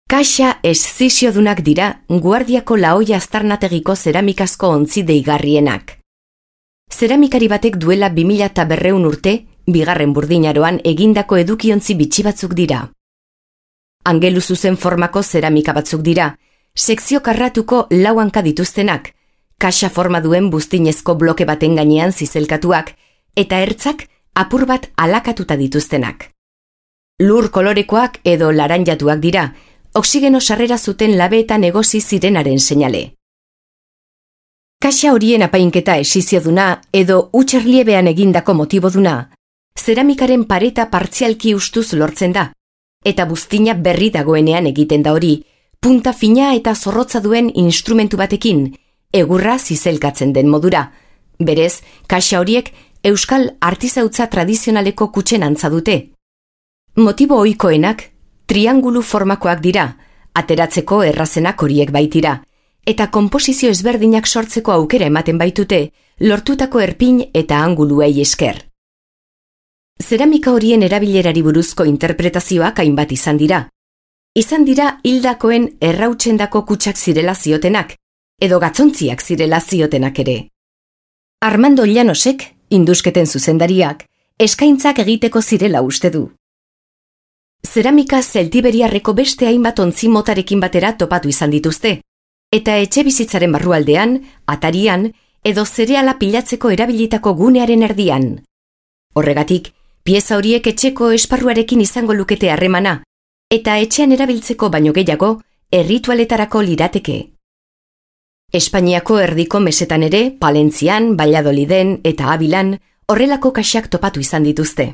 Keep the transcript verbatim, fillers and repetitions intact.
Kaxa esziziodunak dira Guardiako Laoia aztarnategiko zeramikazko ontzi deigarrienak. Zeramikari batek duela bi mila berrehun urte, bigarren burdinaroan egindako edukiontzi bitxi batzuk dira. Angelu zuzen formako zeramika batzuk dira, sekzio karratuko lau hanka dituztenak, kaxa forma duen buztinezko bloke baten gainean zizelkatuak, eta ertzak apur bat alakatuta dituztenak. Lur kolorekoak edo laranjatuak dira, oksigeno sarrera zuten labeetan egosi zirenaren seinale. Kaxa horien apainketa esizioduna edo utxerliebean egindako motiboduna, zeramikaren pareta partzialki ustuz lortzen da, eta buztina berri dagoenean egiten da hori, punta fina eta zorrotza duen instrumentu batekin, egurra zizelkatzen den modura. Berez, kaxa horiek euskal artizautza tradizionaleko kutxen antza dute. Motibo ohikoenak triangulu formakoak dira, ateratzeko errazenak horiek baitira, eta konposizio ezberdinak sortzeko aukera ematen baitute, lortutako erpin eta anguluei esker. Zeramika horien erabilerari buruzko interpretazioak hainbat izan dira. Izan dira hildakoen errautsendako kutxak zirela ziotenak, edo gatzontziak zirela ziotenak ere. Armando Llanosek, indusketen zuzendariak, eskaintzak egiteko zirela uste du. Zeramika zeltiberiarreko beste hainbat ontzi motarekin batera topatu izan dituzte, eta etxe bizitzaren barrualdean, atarian, edo zereala pilatzeko erabilitako gunearen erdian. Horregatik, pieza horiek etxeko esparruarekin izango lukete harremana, eta etxean erabiltzeko baino gehiago, erritualetarako lirateke. Espainiako erdiko mesetan ere, Palentzian, Valladoliden eta Abilan, horrelako kaxak topatu izan dituzte.